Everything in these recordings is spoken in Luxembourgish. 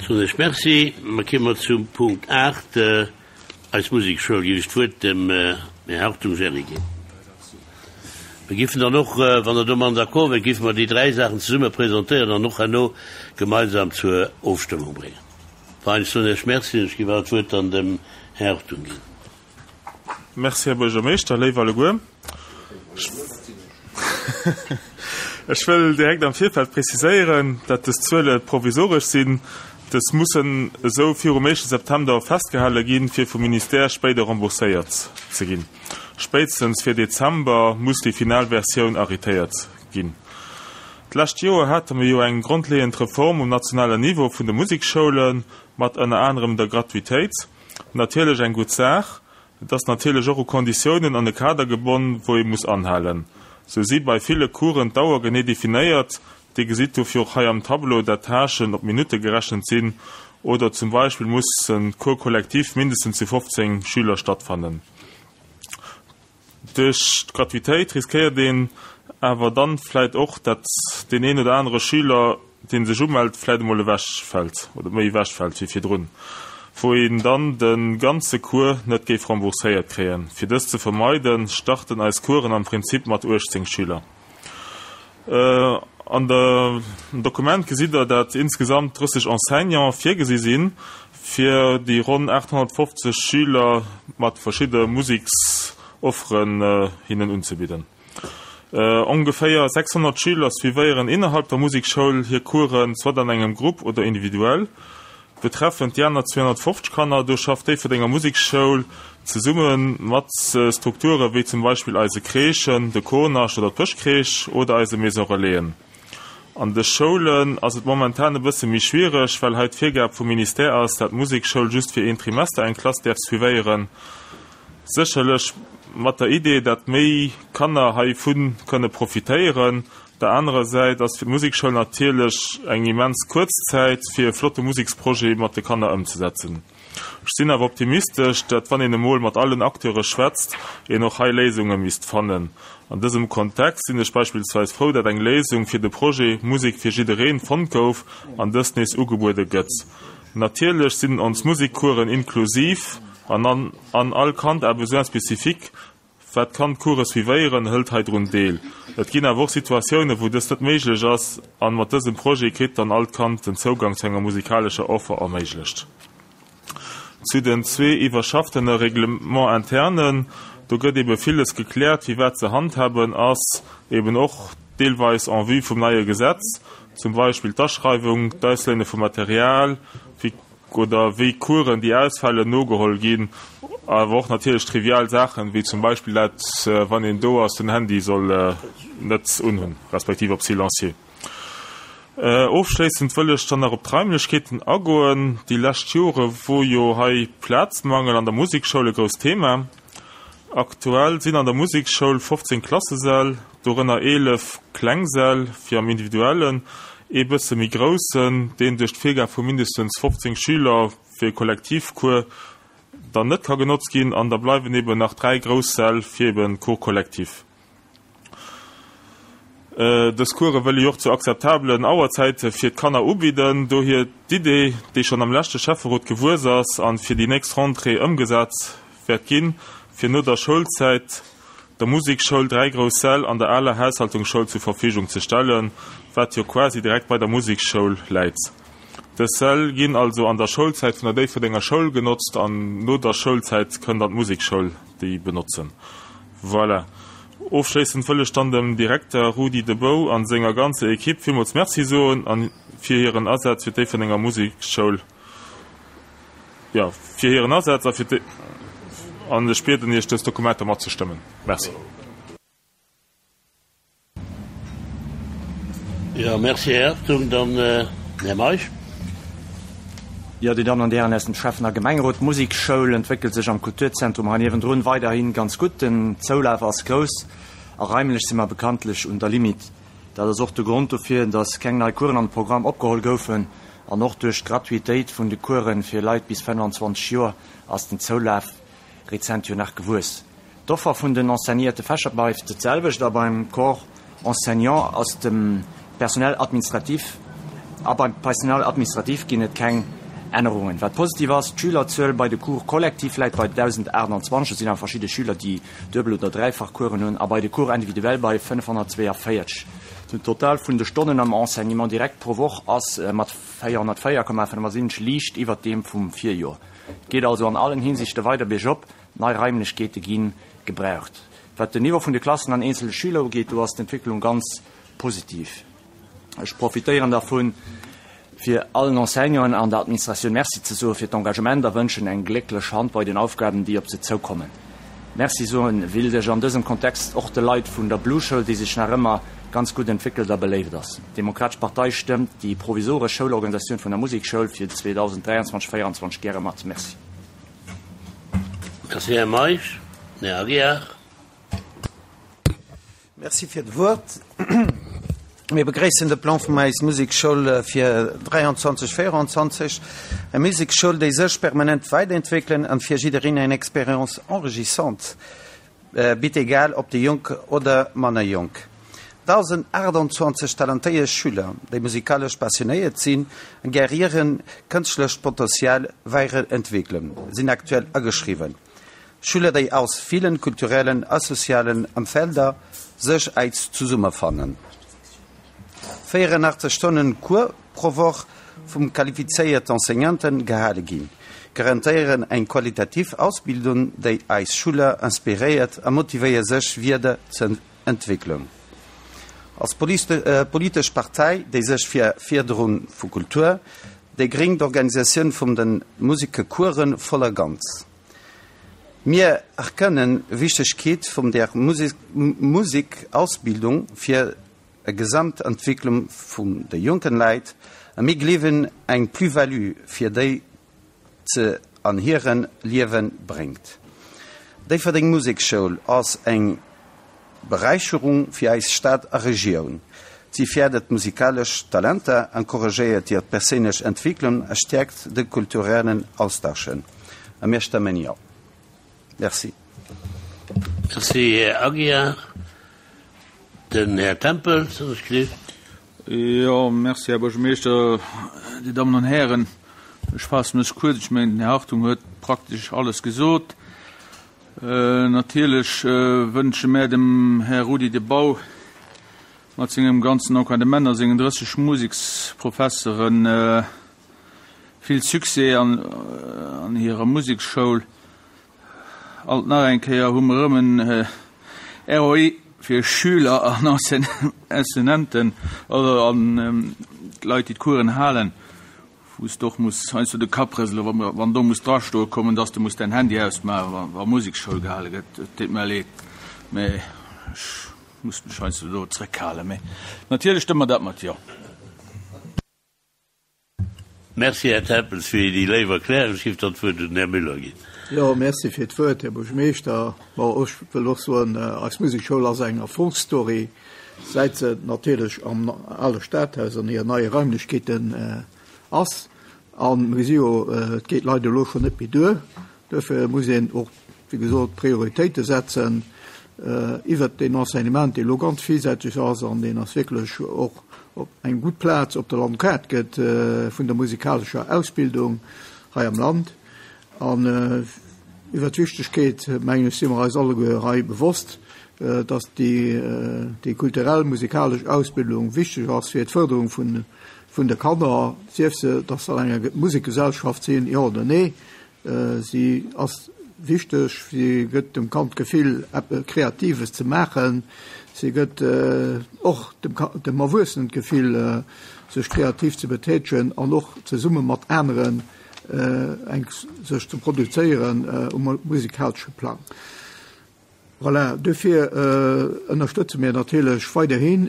Soen ech Merci. Da kéime mer zum Punkt 8, eis Musekschoul. Géif ech d'Wuert dem Här Hartung Gerry ginn. Mir géifen dann och, wann Der domadden d'accord wiert, géife mer déi dräi Saachen zesumme presentéieren an och herno gemeinsam zur Ofstëmmung bréngen. Enfin, ech soen Iech Merci an ech géif awer d'Wuert dann dem Här Hartung ginn. Merci, Här Buergermeeschter. Léif alleguer, ech wëll direkt am Virfeld preziséieren, dat dës Zuele provisoresch sinn. Dës mussen esou virum éischte September festgehale ginn, fir vum Ministère spéider rembourséiert ze ginn. Spéitstens fir Dezember muss déi final Versioun arrêtéiert ginn. D'lescht Joer hate mer jo eng grondleeënd Reform um nationalen Niveau vun de Museksschoulen, mat ënner anerem der Gratuitéit. Natierlech eng gutt Saach. Et ass natierlech och u Konditiounen an e Kader gebonn, wou ee muss anhalen. Sou si bei ville Coursen d'Auer genee definéiert. Dir gesitt dofir och hei am Tableau, dat d'Tâchen op Minutte gerechent sinn oder zum Beispill muss en Cours collectif mindestens zu 15 Schüler stattfannen. Duerch d'Gratuitéit riskéiert een awer dann vläit och, dat deen een oder anere Schüler, deen sech umellt, vläit emol ewech fält oder méi ewech fält wéi virdrun, wou een dann de ganze Cours net géif rembourséiert kréien. Fir dëst ze vermeiden, starten eis Coursen am Prinzip mat 18 Schüler. An dem Dokument gesitt Der, dat insgesamt 30 Enseignants virgesi sinn, fir déi ronn 850 Schüler mat verschidde Museksofferen hinnen unzebidden. Ongeféier 600 Schüler suivéieren innerhalb der Musekschoul hir Coursen, soit an engem Grupp oder individuell. Betreffend déi aner 250 Kanner, do schafft d'Déifferdenger Musekschoul zesumme mat Strukture wéi zum Beispill eise Crèchen, de Konasch oder d'Bëschcrèche oder eise Maison Relaisen. An de Schoulen ass et momentan e bësse méi schwiereg, well hei d'Virgab vum Ministère ass, dat d'Musekschoul just fir een Trimester eng Klass däerf suivéieren. Sécherlech mat der Idee, dat méi Kanner heivu kënne profitéieren. Op der anerer Säit ass fir d'Musekschoul natierlech eng immens kuerz Zäit, fir e flotte Museksprojet mat de Kanner ëmzesetzen. Ech sinn awer optimistesch, dat wann een emol mat allen Acteure schwätzt, een och hei Léisunge misst fannen. An dësem Kontext sinn ech beispillsweis frou, dat eng Léisung fir de Projet Musek fir jiddereen fonnt gouf an dëst nees ugebuede gëtt. Natierlech sinn ons Musekcoursen inklusiv an an all Kand à besoins spécifiques Wat kann d'Course suivéieren, hëlt hei drun deel. Et ginn awer och Situatiounen, wou dëst net méiglech ass, an mat dësem Projet kritt dann all Kand den Zougang zu enger musikalescher Offer erméiglecht. Zu den zwee iwwerschaftene Règlements internen, do gëtt ebe villes gekläert, wéi wat ze handhaben ass, eben och deelweis en vue vum neie Gesetz, zum Beispill d'Aschreiwung, d'Ausléine vu Material, wéi Oder wéi Coursen, déi ausfalen, nogeholl ginn. Awer och natierlech trivial Saachen, wéi zum Beispill dat, wann een do ass, den Handy soll net unhunn, respektiv op silencieux. Ofschléissend wëll ech dann nach op d'Raimlechkeeten agoen. Déi lescht Jore wor jo hei Plazmangel an der Musekschoul e grousst Thema. Aktuell sinn an der Musekschoul 15 Klassesäll, dorënner 11 kleng Säll fir am Individuellen, ee bësse méi groussen, deen duerch d'Virgab vu mindestens 15 Schüler fir e Kollektivcours dann net ka genotzt ginn, an da bleiwen eben nach 3 grouss Säll fir eben Cours collectif. Dës Course wëll ee jo och zu akzeptabelen Auerzäite fir d'Kanner ubidden. Dohier d'Idee, déi schonn am leschte Schäfferot gewuess ass an fir déi nächst Rentrée ëmgesat wäert ginn, fir no der Schoulzäit der Musekschoul 3 grouss Säll an der aler Haushaltungsschoul zur Verfügung ze stellen, wat jo quasi direkt bei der Musekschoul läit. Dës Säll ginn also an der Schoulzäit vun der Déifferdenger Schoul genotzt an no der Schoulzäit kënn dann d'Musekschoul déi benotzen. Voilà. Ofschléissend wëll ech dann dem Direkter Rudi De Bouw an senger ganzer Equipe villmools Merci soen an fir hiren Asaz fir d'Déifferdenger Musekschoul, jo, fir hiren Asaz a fir d'Dé an ech bieden Iech dës Dokumenter matzestëmmen. Merci. Jo, merci, Här Hartung. Dann Här Meisch. Jo, Dir Dammen an Dir Hären aus dem Schäffen a Gemengerot, d'Musekschoul entwéckelt sech am Kulturzentrum hei niewendrun weiderhi ganz gutt. Den Zoulaf ass grouss a raimlech si mer bekanntlech un der Limite. Dat ass och de Grond dofir, datt keng nei Coursen an de Programm opgeholl goufen. An och duerch d'Gratuitéit vun de Course fir Leit bis 25 Joer ass den Zoulaf rezent jo nach gewuess. D'Offer vun den enseignéierte Fächer bleift d'selwecht a beim Corps enseignant ass dem Personnel administratif. A beim Personal administratif ginn et keng Ännerungen. Wat positiv ass, D'Schülerzuel bei de Cours collectifs läit bei 1.028, et sinn awer verschidde Schüler, déi duebel oder dräifach Coursen hunn, a bei de Cours individuels bei 542. Den Total vun de Stonnen am Enseignement direct pro Woch ass mat 404,75 liicht iwwert deem vum Virjoer. Et geet also an allen Hinsichte weider biergop, nei Raimlechkeete gi gebraucht. Wat den Niveau vun de Klassen an eenzele Schüler ugeet, do ass d'Entwécklung ganz positiv. Ech profitéieren dervun, fir allen Enseignanten an der Administratioun Merci ze soe fir d'Engagement a wënschen eng glécklech Hand bei den Aufgaben, déi op se zoukommen. Merci soen willt ech an dësem Kontext och de Leit vun der Blueschoul, déi sech nach ëmmer ganz gutt entwéckelt a beléift ass. D'Demokratesch Partei stëmmt déi provisoresch Schoulorganisatioun vun der Musekschoul fir 2023, 24 gäre mat. Merci. Merci, Här Meisch. Här Aguiar. Merci fir d'Wuert. Mir begréissen de Plan vum eis Musekschoul fir 23, 24. Eng Musekschoul, déi sech permanent weiderentwéckelen an fir jiddereen eng Expérience enrichissante bitt, egal ob déi Jonk oder manner Jonk. 1.028 talentéiert Schüler, déi musikalesch passionéiert sinn an gär hiren kënschtlecht Potential weiderentwéckelen, sinn aktuell ageschriwwen. Schüler, déi aus villen kulturellen a sozialen Emfelder sech äis zesummefannen. 84 Stonnen Cours pro Woch vum qualifizéierte Enseignanten gehale ginn, garantéieren eng qualitativ Ausbildung, déi eis Schüler inspiréiert a motivéiert sech wieder ze entwéckelen. Als politesch Partei, déi sech fir Fierderung vu Kultur, déi gréng d'Organisatioun vum den Musekecoursen voll a ganz. Mir erkennen Wichtegkeet vum der Musikausbildung fir e Gesamtentwicklung vum de jonken Läit a mir gleewen eng Plus-value fir déi ze an hiren Liewen bréngt. Déifferdeng Musekschoul ass eng Beräicherung fir eis Stad a Regioun. Si férdert musikalesch Talenter, encouragéiert hir perséinlech Entwicklung a stäerkt de kulturellen Austausch. A mir stëmmen Jo. Merci. Merci, Här Aguiar. Den Här Tempels, huet sech gelift. Jo, merci, Här Buergermeeschter, Dir Dammen an Hären. Ech faasse mech kuerz. Ech mengen, den Här Hartung huet praktesch alles gesot. Natierlech wënsche mär dem Här Rudi De Bauw mat sengem ganzen Encadrement a sengen 30 Museksprofessere vill Succès an hirer Museksschoul. Alt nach eng Kéier hu mer erëm en ROI fir Schüler an Enseignanten an d'Leit, déi d'Coursen halen. Wou s de och muss heiansdo de Kapp rëselen, wa mer, wann do muss drastoe kommen, dass de muss däin Handy ausmaachen, wa, wa Musekschoul gehale gëtt. Et deet mer leed, mä ech muss mech heiansdo do zrëckhalen. Mä natierlech stëmme mer dat mat Jo. Merci, Här Tempels, fir déi léif Erklärung. Ech géif dann d'Wuert un den Här Müller ginn. Jo, merci fir d'Wuert, Här Buergermeeschter. Bon, ech wëll och soen, eis Musekschoul ass eng Erfolgsstory. Säit se natierlech am ale Stadhaus an hiren neie Raimlechkeeten ass. A mir gesi jo, et geet leider elo schonn net méi duer. Duerfir muss een och, wéi gesot, Prioritéite setzen iwwert deen Enseignement, dee elo ganz villsäiteg ass an deen ass wierklech och op eng gutt Plaz op der Landkaart gëtt vun der musikalescher Ausbildung hei am Land. An iwwert d'Wichtegkeet, mengen ech, si mer eis alleguer hei bewosst, dass déi kulturell, musikalesch Ausbildung wichteg ass fir d'Fërderung vun de Kanner, sief se, dass se an enger Musekgesellschaft sinn, jo oder nee. Si ass wichteg, si gëtt dem Kand d'Gefill, eppes Kreatives ze maachen. Si gëtt och dem Erwuessenen d'Gefill, sech kreativ ze betätegen an och zesumme mat aneren eng sech ze produzéieren um musikalesche Plang. Voilà, duerfir ënnerstëtze mir natierlech weiderhin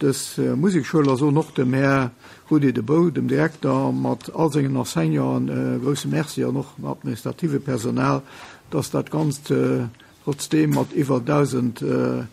dës Musekschoul a soen och dem Här Rudi De Bouw, dem Direkter, mat all sengen Enseignanten e grouse Merci an och dem administrative Personal, dass dat Ganzt trotzdeem mat iwwer 1.000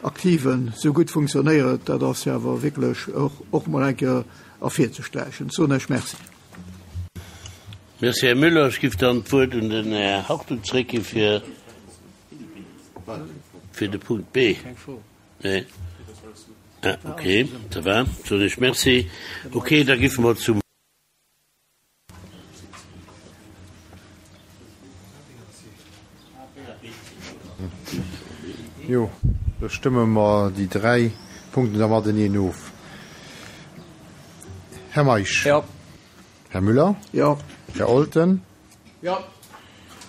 Aktiven esou gutt funktionéiert. Dat ass jo awer wierklech och emol eng Kéier ervirzesträichen. Ech soen Iech Merci. Merci, Här Müller. Ech giff dann d'Wuert un den Här Hartung zréckgi fir fir de Punkt B. Nee. Ah, okay, ça va. Soen ech Merci. Okay, da giffe mer zum. Jo, da stëmme mer déi dräi Punkten da mateneen of. Här Meisch. Jo. Här Müller. Jo. Här Olten. Jo.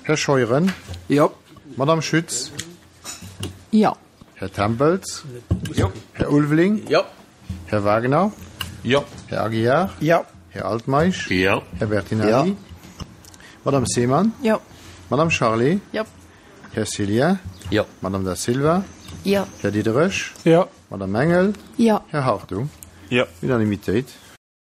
Här Scheuren. Jo. Madame Schütz. Jo. Här Tempels. Jo. Här Ulveling. Jo. Här Wagner. Jo. Här Aguiar. Jo. Här Altmeisch. Jo. Här Bertinelli. Jo. Madame Seemann. Jo. Madame Charlé. Jo. Här Cillien. Jo. Madame Da Silva. Jo. Här Diderich. Jo. Madame Engel. Jo. Här Hartung. Jo. Unanimitéit.